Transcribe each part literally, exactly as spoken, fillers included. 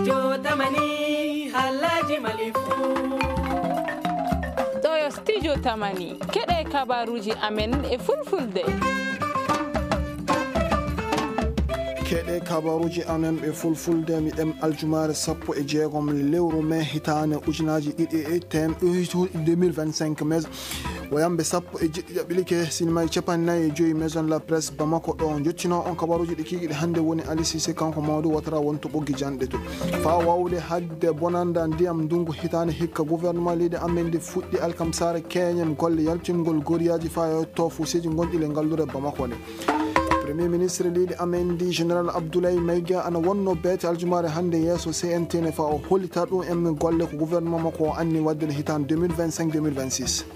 Jotamani, Alhaji Malifu. Ɗo yo Studio Tamani. Keɗe kabaruji amen e fulfulde. Keɗe kabaruji amen e fulfulde, mi ɗem aljumaare sappo e jeegom lewru mai hitaande ujunaaji ɗiɗi e tem-, deux mille vingt-cinq mai. Wayambe sappo e jeɗɗi ƴaɓɓilike sinimaaji capanɗe nayi e joyi Maison la Presse Bamako ɗo. Jottino on kabaruji ɗi kikiɗe hannde woni Ali Cissé, kanko Mamadou Ouattara woni to ɓoggi janɗe to. Faa wawde hadde bonanda ndiyam ndungu hitaande hikka, gouvernement leydi amen ndi fuɗɗi alkamsaare keñe golle yaltingol goriyaji faa yotto fuuseeji gonɗi le ngallure Bamako nde. Premier ministre leydi amen ndi Général Abdoulaye Maïga ana wonno beete aljumaare hannde yeeso C N T ne faa o hollita ɗum en golle ko gouvernement makko o anni wadde le hitaande deux mille vingt-cinq, deux mille vingt-six.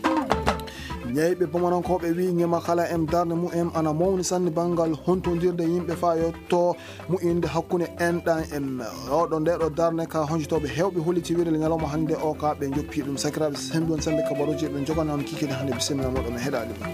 Ñayɓe Bamanankooɓe wi ñama kala en darnde mumen ana mawni sanne banngal hontondirde yimɓe faa yotto mu'inde hakkunde enɗan en. Oɗo ndeɗo darnde ka honjotooɓe heewɓe holliti wiide le ñalawma hannde o ka ɓe joppi ɗum. Sakiraaɓe, henndu on sembe kabaruji ɓe jogana on kikiɗe hannde, bisimilla moɗon, mi heɗaali ɗum.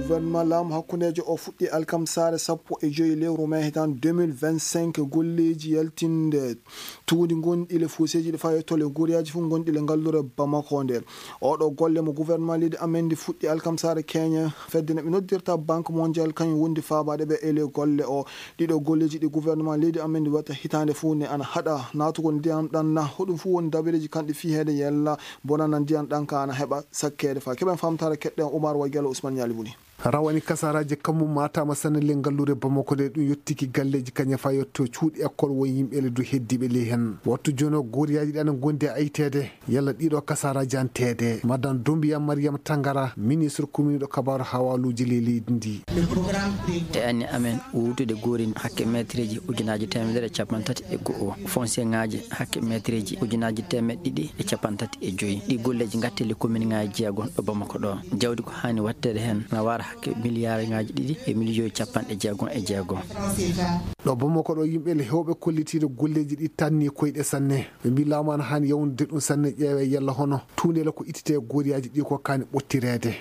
Gouvernement laamu hakkundeejo o fuɗɗi alkamsaare sappo e joyi lewru mai hitaande deux mille vingt-cinq golleeji yaltinde tuundi gonɗi le fuuseeji ɗi faa yotto le goriyaji fof gonɗi le ngallure Bamako nde. Oɗo golle mo gouvernement leydi amen ndi fuɗɗi alkamsaare keñe, fedde no ɓe noddirta Banque Mondiale kañum wondi faabaade ɓe e le golle o. Ɗiɗo golleeji ɗi gouvernement leydi amen ndi watta hitaande fof ne ana haɗa naatugol ndiyam ɗan na. Hoɗum fof woni dabareeji kanɗi fii heede yella bonana ndiyam ɗan ka ana heɓa sakkeede faa. Keɓen famtare keɗɗen Oumar Wagelo Ousmane Ñaali Buni. Rawani kasaraji kammu matama sanne le ngallure Bamako nde, ɗum yottiki galleji kañe fa yotto cuuɗi école won yimɓe le du heddiɓe ley hen. Wattu jono goriyaji ɗi ana gondi e aytede. Yalla ɗiɗo kasaraji an teede. Madame Doumbia Mariam Tangara, ministre commune ɗo kabaru hawaluji ley leydi ndi. E anni amen wuutude goori hakke meetreeji ujunaaji teemedere e capanɗe tati e go'o, foncier ŋaaji hakke meetreeji ujunaaji teemeɗɗe ɗiɗi e capanɗe tati e joyi. Ɗi golleeji ngatteli commune ŋaaji jeegom ɗo Bamako ɗo. Jawdi ko haani watteede heen na waara hakke miliyaar ŋaaji ɗiɗi e miliyoyi capanɗe jeegom e jeegom. Ɗo Bamako ɗo yimɓe le heewɓe kollitiiɗo golleeji ɗi tanni koyɗe sanne. Ɓe mbii laamu ana haani yawndude ɗum sanne, ƴeewe yalla hono tuundela ko ittite gooriyaaji ɗi ko kaani ɓottireede.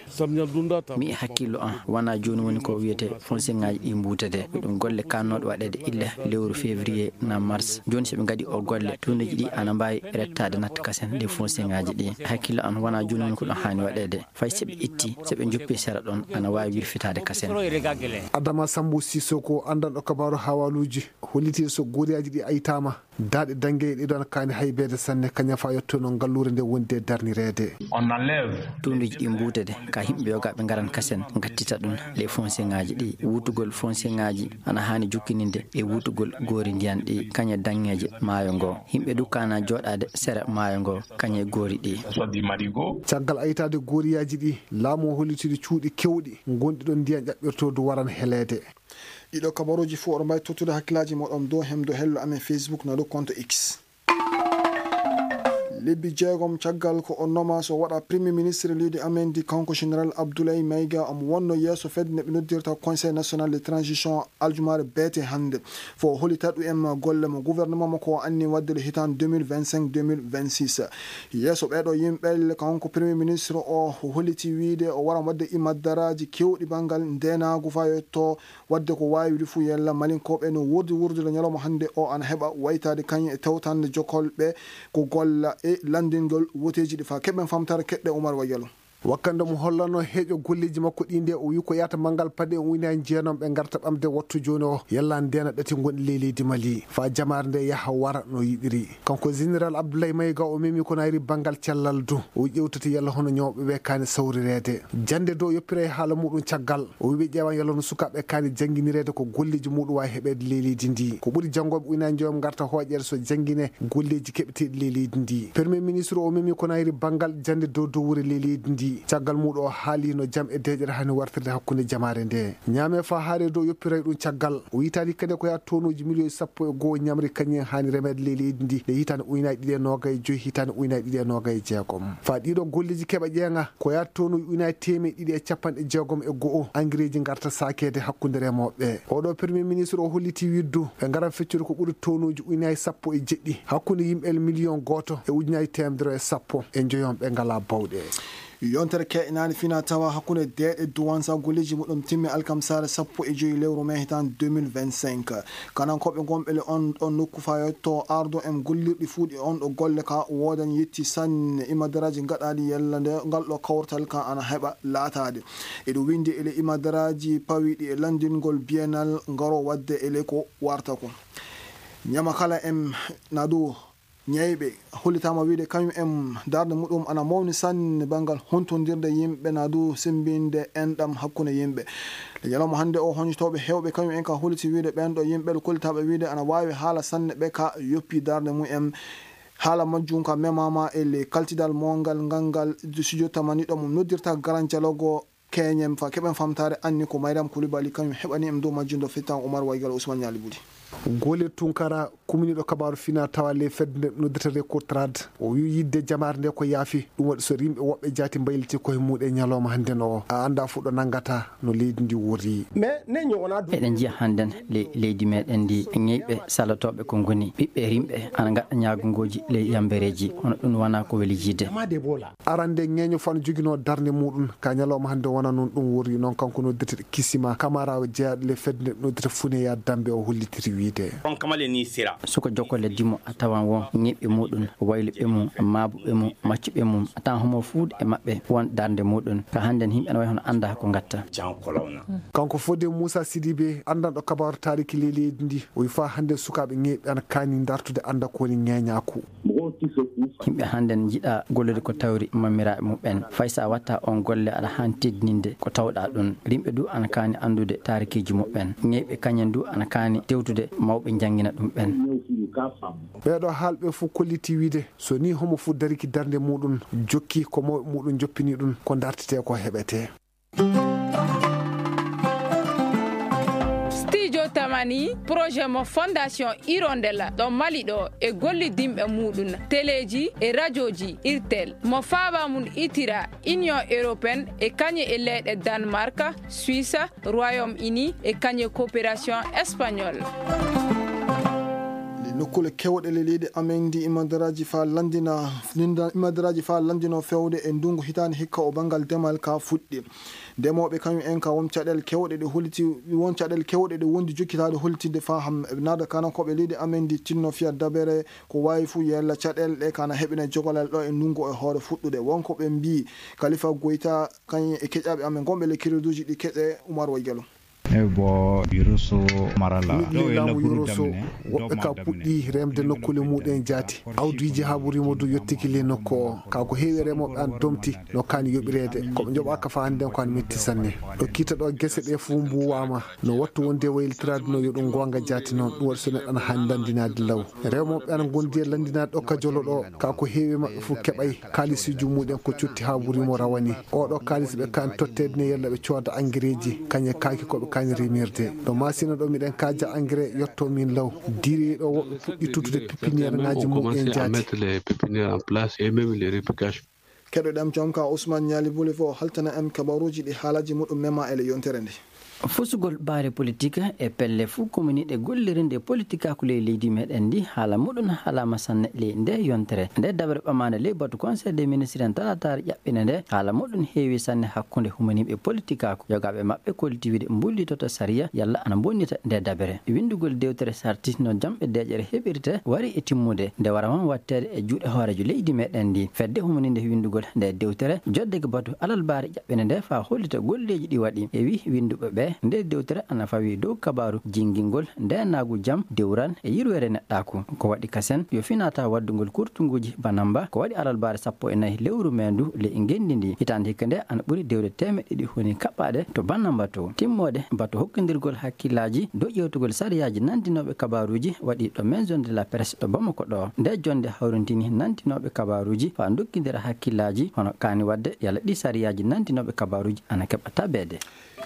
Mi e hakkillo am, wonaa jooni woni ko wiyetee fonseŋaaji ɗi mbuutede. Ko ɗum golle kaannooɗe waɗeede illa lewru février na mars. Jooni so ɓe ngaɗii o golle, tuundeeji ɗi ana mbaawi rettaade natta kasen ley fonseŋaaji ɗi. Hakkillo am, wonaa jooni woni ko ɗum haani waɗeede. Fay so ɓe itti, so ɓe njoppi sera ɗon, ana waawi wirfitaade kasen. Adama Sambu Sisoko, anndanɗo kabaaru hawaluuji, holliti so gooriyaaji ɗi aytaama. Daaɗe daŋŋe ɗe ɗon kaani haybeede sanne, kañum fa yottono ngalluure nde wondi e darnireede. Tuunduuji ɗi mbuutede ka yimɓe yogaaɓe ngaran kasen ngattita ɗum ley fonseŋaaji ɗi. Wuutugol fonseŋaaji ana haani jokkininde e wuutugol goori ndiyan ɗi kañe daŋŋeeje maayo ngo. Yimɓe du kaana jooɗaade sera maayo ngo kañe goori ɗi. Caggal aytaade gooriyaaji ɗi, laamu o hollitiri cuuɗi keewɗi ngonɗi ɗon ndiyan ƴaɓɓirtoodu waran heleede. Ɗiɗo kabaruuji fof oɗo mbaawi tottude hakkillaaji moɗon dow hem dow hello amen Facebook na dow compte X. Lebbi jeegom caggal ko o nomaama so waɗa Premier Ministre leydi amen ndi, kanko Général Abdoulaye Maïga, omo wonno yeeso fedde nde ɓe noddirta Conseil National de Transition aljumaare beete hannde. Fof o hollita ɗum en golle mo gouvernement makko o anni waɗde le hitaande deux mille vingt-cinq, deux mille vingt-six. Yeeso ɓeeɗo yimɓe, kanko Premier Ministre o, o holliti wiyde o waran waɗde imaddaraaji keewɗi banngal ndeenaagu faa yotto waɗde ko waawi fuu yalla Malinkooɓe no wuurdi wuurdude ñalawma hannde o ana heɓa waytaade kañum e tewtande jokkolɓe ko golla e lanndingol woteeji ɗi faa. Keɓen famtare keɗɗe Oumar Wayalo. Wakkande mo hollanno heeƴo golleeji makko ɗi nde, o wi ko yahata manngal paɗe o ujunaaji jeenom ɓe ngarta ɓamde wattu jooni o yalla ndeena ɗati gonɗi ley leydi Mali. Faa jamaare nde yaha wara no yiɗiri. Kanko Général Abdoulaye Maïga o memi ko nayri banngal cellal du. O ƴewtata yalla hono ñawɓe ɓe kaani sawrireede. Jannde dow yoppira e haala muɗum caggal. O wi ɓe ƴeewan yalla no sukaaɓe kaani jannginireede ko golleeji muɗum waawi heɓeede ley leydi ndi. Ko ɓuri janngooɓe ujunaaji njoyom ngarta hooƴeede so janngine golleeji keɓeteeɗi ley leydi ndi. Premier ministre o memi ko nayri banngal jannde dow dowure ley leydi ndi. Caggal muɗum o haali no jam e deeƴere haani wartirde hakkunde jamaare nde. Ñaame faa haare dow yoppiray ɗum caggal. O yitaani kadi ko yaa tonuuji miliyoyi sappo e go'o ñamri kañum en haani remeede ley leydi ndi nde hitaande ujunaaji ɗiɗi e noogay e joyi, hitaande ujunaaji ɗiɗi e noogay e jeegom. Faa ɗiɗo golleeji keɓa ƴeeŋa, ko yaa tonuuji ujunaaji teemeɗɗe ɗiɗi e capanɗe jeegom e go'o angireeji ngarta saakeede hakkunde remooɓe. Oɗo Premier ministre o holliti wiide ɓe ngaran feccude ko ɓuri tonuuji ujunaaji sappo e jeɗɗi hakkunde yimɓe miliyon gooto e ujunaaji teemedere e sappo e njoyon ɓe ngalaa bawɗe. Yontere keɓnaande fina tawa hakkunde deeɗe duwan sagoliji muɗum timmi alkamsare sappo e joyi lewru mai hitan deux mille vingt-cinq. Kanankooɓe gonɓe le on ɗon nokku fayotto ardo en gollirɗi fuuɗi on ɗo golle ka woodan yetti sanne imadaraji gaɗaɗi yalla nde ngal ɗo kawrtal kan ana heɓa laataade. Eɗo windi ele imadaraji pawiɗi e landingol bienal ngaro wadde ele ko warta ko. Ñama kala en nadu ñeyɓe hollitaama wiide kañum en darnde muɗum ana mawni sanne banngal huntondirde yimɓe na du sembinde enɗam hakkunde yimɓe. Nde ñalawma hannde o, hoñotooɓe heewɓe kañum en ka holliti wiide ɓeen ɗo yimɓe ɗo kollitaaɓe wiide ana waawi haala sanne ɓe ka yoppi darnde mum en. Haala majjum ka memaama e le kaltidal mongal ngal ngal studio tamani ɗo mum noddirta garan jalogo keñen fa keɓen famtaare anni ko Maydam Koulibaly kañum heɓani en dow majjum ɗo fettan Oumar Waygal Ousmane Ñaali Budi. Goolel Tunkara, kuminiiɗo kabaaru fina tawa ley fedde nde noddata Record Trad, o wi yidde jamaare nde ko yaafi, ɗum waɗi so rimɓe woɓɓe jaati mbayliti koye muɗe ñalawma hannde no o. A annda fof ɗo nanngata no leydi ndi wori. Mais ne ñoo wonaa du- Eɗen njiya hannden le-, leydi meɗen ndi, ñeyɓe salotooɓe ko ngoni ɓiɓɓe rimɓe ana ngaɗa ñaagungooji ley yambereeji, hono ɗum wonaa ko weli jiide. Arande ñeeño fano joginoo darnde muɗum ka ñalawma hannde wona noon ɗum wori noon kanko noddirteɗo Kisima Kamara o jeyaɗo le fedde nde noddita Funeya Dambe o hollitiri wiide. On kamale ni sira. Suka jokko le dimo a tawan won ñiɓɓe muɗum, wayluɓe mum, maabuɓe mum, maccuɓe mum, a tawan homo fuude e maɓɓe won darnde muɗum. Ka hannden yimɓe ana wayi hono annda ko ngatta. Kanko Fodé Moussa Sidibé, anndanɗo kabaaru taariki ley leydi ndi, o wi faa hannde sukaaɓe ñeeɓe ana kaani dartude annda ko woni ñeeñaaku. Yimɓe hannden njiɗa gollude ko tawri mammiraaɓe muɓɓen. Fay so a watta on golle aɗa haani teddininde ko tawɗa ɗum. Rimɓe du ana kaani anndude taarikiiji muɓɓen. Ñeeɓe kañen du ana kaani tewtude mawɓe njanngina ɗum ɓen. Ɓeeɗo haalɓe fof kolliti wiide so ni homo fof dariki darnde muɗum jokki ko mawɓe muɗum joppini ɗum ko dartete ko heɓete. Studio Tamani, projet mo Fondation Hirondelle ɗo Mali ɗo e gollidinɓe muɗum, teleji e rajoji Irtel, mo faaba mum itira Union Européenne e kañe e leyɗe Danemark, Suisse, Royaume Uni e kañe coopération espagnole. Nokkuule kewɗe le leydi amen ndi imadaraaji faa lanndina, linda-, imadaraaji faa lanndino fewde e ndungu hitaande hikka o banngal demal ka fuɗɗi. Ndemooɓe kañum en ka won caɗeele kewɗe ɗe holliti, won caɗeele kewɗe ɗe wondi jokkitaade hollitinde faa ham-, naada kanankooɓe leydi amen ndi tinno fiya dabere ko waawi fuu yella caɗeele ɗe kana heɓina jogalal ɗo e ndungu e hoore fuɗɗude. Wonko ɓe mbii Khalifa Goita kañum e keƴaaɓe amen gonɓe le kireduuji ɗi keƴe Umar Waygello. E bo Yurusu Marala. Miɗo ley laamu Yurusu, woɓɓe ka puɗɗi remde nokkuule muɗen jaati. Awdiiji haɓuriima du yottiki ley nokku o. Ka ko heewi remooɓe an domti no kaani yoɓireede. Ko ɓe njoɓaaka faa hannden ko an metti sanne. Ɗo kiita ɗo gese ɗe fof mbuuwaama. No wattu wonde waylitiraade no yo ɗum goonga jaati noon. Ɗum waɗi so neɗɗo ana haani ndanndinaade law. Remooɓe ana ngondi e lanndinaade ɗo ka jolo ɗo. Ka ko heewi maɓɓe fof keɓay. Kaalisiiji muɗen ko cotti haa ɓuri mo rawani. Oɗo kaalis ɓe kaani totteede ne yalla ɓe cooda angereeji, kañe kaaki ko ɓe kaani remirde. Ɗo Masina ɗo miɗen kaaja angere yotto min law. Diri ɗo woɓɓe puɗɗi tuttude pépinière ŋaaji muɓɓen jaati. Mettre les pépinières en place et même les réplications. Keɗoɗen joom ka Ousmane Ñaali Buli fof haltana en kabaruuji ɗi haalaji muɗum mema e le yontere nde. Fusugol baare politik e pelle fuu kominiiɗe gollirinde politikaaku ley leydi meɗen ndi, haala muɗum haalaama sanne ley nde yontere. Nde dabre ɓamaande ley batu Conseil des ministres en talaataare ƴaɓɓinde nde, haala muɗum heewi sanne hakkunde humaniiɓe politikaaku. Yogaaɓe maɓɓe kolliti wiide mbullitoto sariya yalla ana bonnita nde dabre. Winndugol dewtere sarti no jamɗe deeƴere heɓirte wari e timmude. Nde wara man watteede e juuɗe hooreejo leydi meɗen ndi. Fedde humaninde winndugol nde dewtere jodde ko batu alalbaare ɓene nde faa hollita golleeji ɗi waɗi. E wi winnduɓe ɓe, nde dewtere ana fawi dow kabaaru jinngingol ndeenaagu jam, dewral e yirweere neɗɗaaku. Ko waɗi kasen yo finata waddugol kurtunguuji Banamba, ko waɗi alalbaare sappo e nayi lewru meendu ley ngenndi ndi. Hitaande hikka nde ana ɓuri dewle teemeɗɗe ɗiɗi honi kaɓɓaaɗe to Banamba to. Timmoode batu hokkindirgol hakkillaaji dow ƴeewtugol sariyaaji nanndinooɓe kabaaruuji waɗi ɗo Maison de la Presse ɗo Bamako ɗo. Nde jonnde hawrintini nanndinooɓe kabaaruuji faa ndokkindira hakkillaaji hono kaani waɗde yalla ɗi sariyaaji nanndinooɓe kabaaruuji ana keɓa tabeede.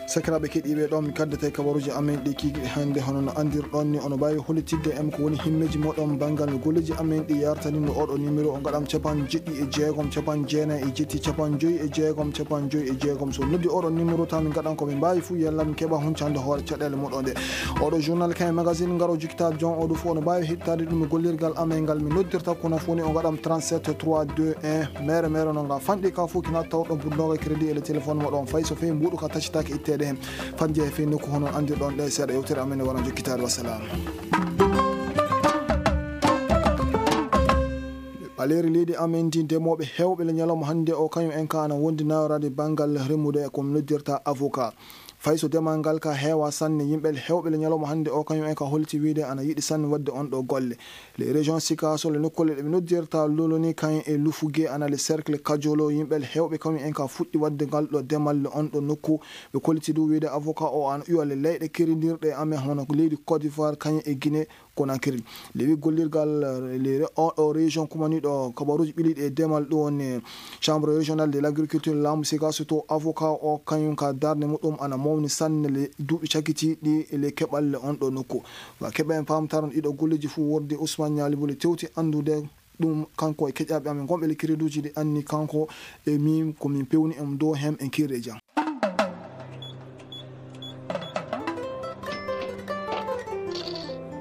Sakiraaɓe keɗiiɓe, ɗo mi kaddata e kabaruuji amen ɗi kiikiɗe hannde. Hono no anndirɗon ni, ono mbaawi hollitidde en ko woni himmeeji moɗon banngal no golleeji amen ɗi yartani no oɗo numéro o ngaɗam capanɗe jeɗɗi e jeegom, capanɗe jeenayi e jetti, capanɗe joyi e jeegom, capanɗe joyi e jeegom. So noddi oɗo numéro tan, min ngaɗan ko min mbaawi fuu, yalla min keɓa huncande hoore caɗeele moɗon ɗe. Oɗo journal kayen magazine ngaro jikkitaa jon o ɗum fof no mbaawi heɗitaade ɗum e gollirgal amen ngal. Min noddirta kono fof ni o ngaɗam trente-sept trois deux un. Mere mere no nga fanɗi ka fof kina tawɗo buddoga crédit e le téléphone moɗon fay so fay mbuɗu ka tacitaake itteede heen. Fat njehe fii nokku hono anndirɗon ɗe seeɗa yewtere amen e wona jokkitaade. Wassalam. Ɓaleeri leydi amen ndi ndemooɓe heewɓe le ñalawma hannde o kañum en ka ana wondi nayoraade banngal remude ko noddirta avocat. Fay so demal ngal ka heewa sanne, yimɓe heewɓe le ñalawma hannde o kañum en ka holti wiide ana yiɗi sanne waɗde on ɗo golle. Le région Sikaso le nokkuule ɗe ɓe noddirta Loloni kañum e Lufuge ana le cercle Kajolo, yimɓe heewɓe kañum en ka fuɗɗi waɗde ngal ɗo demal le on ɗo nokku. Ɓe kolliti ɗum wiide avocat o ana ƴuwa le leyɗe kerindirɗe e amen hono leydi Côte d'Ivoire kañum e Guinée Conakry. Lewi gollirgal, eh, le, o, o région kumaniɗo kabaruji ɓiliɗi e demal ɗum woni Chambre régionale de l'agriculture laamu Sikaso to avocat o kañum ka darde muɗum ana mawni sanne le duuɓi cakitiɗi le keɓal le on ɗo nokku. Wa keɓa en pamtaron ɗiɗo golleji fuu worde Ousmane Niali Bole tewti anndude ɗum kanko e keƴaɓe amen gonɓe le créduji ɗi anni kanko e min ko min pewni en dow hem en kirre jam.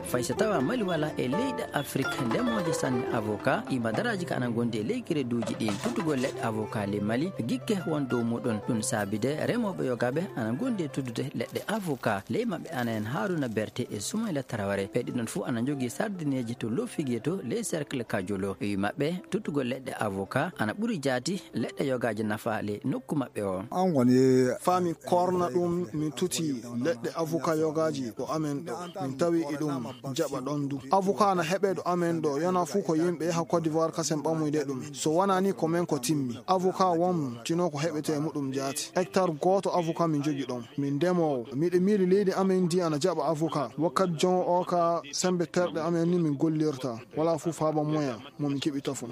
Fay so tawa Mali wala e leyɗe Afrik ndemooje sanne avocat, ima daraaji ka ana gondi e ley créduji ɗin. Tuttugol leɗɗe avocat ley Mali, gikke won dow muɗum. Ɗum saabide remooɓe yogaɓe ana gondi e tuddude leɗɗe avocat. Ley maɓɓe ana en Haruna Berte e Soumaila Traoré. Ɓe ɗiɗon fof ana jogii sardineeji to Lofigé to ley cercle Kajolo. Wi maɓɓe, tuttugol leɗɗe avocat ana ɓuri jaati leɗɗe yogaaji nafaale nokku maɓɓe o. An woni faami korna ɗum, min tuti leɗɗe avocat yogaaji ɗo amen ɗo. Min tawi e ɗum jaɓa ɗon du. Avocat na heɓe ɗo amen ɗo, yana fuu ko yimɓe yaha Côte d'Ivoire kasen ɓamuyde ɗum. So wonaa ni ko men ko timmi. Avocat won tino ko heɓete e muɗum jaati. Hectare gooto avocat min jogi ɗon. Min ndemoowo. Miɗo miili leydi amen ndi ana jaɓa avocat. Wakkati jon o ka sembe terɗe amen ni min gollirta. Wala fuu faaba moyen mo min keɓi tafon.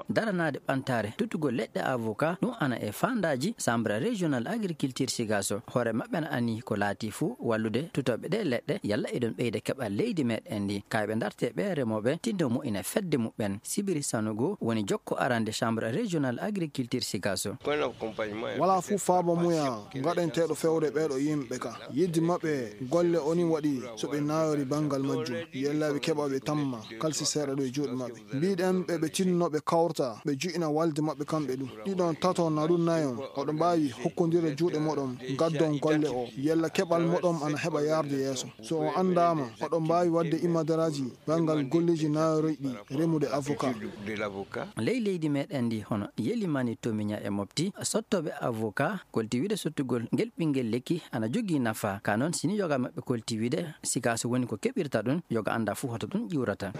Daranaade ɓantaare tuttugol leɗɗe avocat, ɗum ana e faandaaji Chambre régional agriculture Sikaso. Hoore maɓɓe na ani ko laati fuu wallude tutooɓe ɗe leɗɗe, yalla eɗon ɓeyda keɓal leydi meɗen ndi. Kayɓe darte ɓe remooɓe tinno mo ina fedde muɓɓen. Sibiri Sanogo woni jokko arande Chambre régional agriculture Sikaso. Wala fuu faaba muya ngaɗenteeɗo fewde ɓeeɗo yimɓe ka. Yidde maɓɓe golle o ni waɗi so ɓe naayori banngal majjum. Yella ɓe keɓa ɓe tamma kalsi seeɗa ɗo e juuɗe maɓɓe. Mbiɗen ɓe ɓe tinno ɓe kawrta, ɓe ju'ina walde maɓɓe kamɓe ɗum. Ɗiɗon, taton, na ɗum nayon, oɗo mbaawi hokkondire juuɗe moɗon, ngaddon golle o. Yella keɓal moɗon ana heɓa yarde yeeso. So o anndaama, oɗo mbaawi waɗde imadaraaji banngal golleeji naayoroyɗi remude avocat. Ley leydi meɗen ndi hono Yelimani Tomiña e Mopti, sottooɓe avocat kolti wiide sottugol ngel ɓinngel lekki ana jogii nafa. Ka noon, sini yoga maɓɓe kolti wiide Sikaso woni ko keɓirta ɗum, yoga annda fuu hoto ɗum ƴuurata.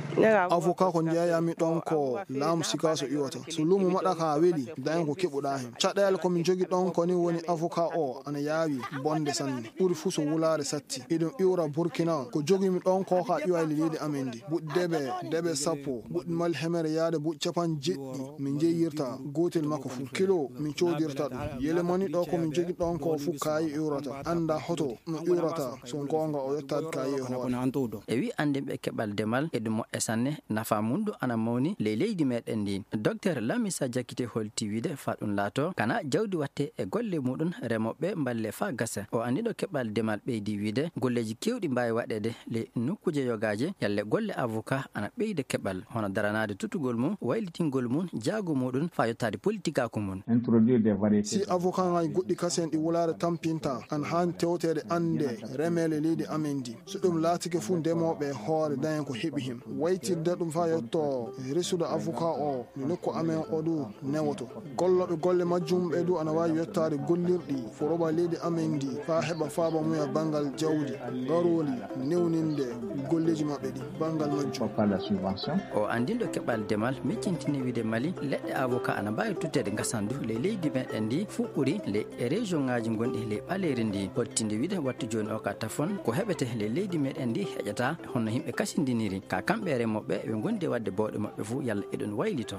Avocat ko njeeyami ɗon ko laamu Sikaso iwata. So luumo maɗa ka weli, daña ko keɓuɗa hen. Caɗeele ko min jogi ɗon ko ni woni avocat o ana yaawi bonde sanne. Ɓuri fuu so wulaare satti. Eɗum iwra Burkina. Ko jogimi ɗon ko ka iwayli leydi amen ndi. Buɗɗi debe, debe sappo. Buɗɗi Mali hemere yaade buɗɗi capanɗe jeɗɗi. Min jeeyirta gootel makko fuu. Kilo min coodirta ɗum. Yelemani ɗo ko min jogi ɗon ko fuu kaayi iwrata. Annda hoto no iwrata. So goonga o yottaade kaayi e hoore. E wi anndinɓe keɓal demal e ɗum moƴƴa sanne, nafa mum ɗum ana mawni ley leydi meɗen ndi. Docteur Lamisa Jakite holti wiide fa ɗum laato, kana jawdi watte e golle muɗum, remooɓe mballe fa gasa. O anniɗo keɓal demal ɓeydi wiide, golleeji kewɗi mbaawi waɗeede ley nokkuuje yogaaje, yalle golle avocat ana ɓeyda keɓal, hono daranaade tutugol mum, waylitingol mum, jaago muɗum, fa yottaade politikaaku mum. Si avocat ngaji goɗɗi kasen ɗi wulaare tampinta, ana haani tewteede annde remeele leydi amen ndi. So ɗum laatike fuu, ndemooɓe e hoore daña ko heɓi heen. Waytirde ɗum faa yotto resude avocat o, no nokku amen o du newoto. Gollooɓe golle majjum ɓe du ana waawi yottaade gollirɗi foroba leydi amen ndi faa heɓa faaba mum e banngal jawdi, ngarooli, newninde golleeji maɓɓe ɗi, banngal majjum. O anndinɗo keɓal demal miccintini wiide Mali, leɗɗe avocat ana mbaawi tutteede ngasandu ley leydi meɗen ndi, fuu ɓuri ley e région ŋaaji gonɗi ley ɓaleeri ndi. Hottinde wiide wattu jooni o ka tafon, ko heɓete ley leydi meɗen ndi heƴata, hono yimɓe kasindiniri. Ka kamɓe remooɓe, ɓe ngondi e waɗde bawɗe maɓɓe fuu, yalla eɗon waylito.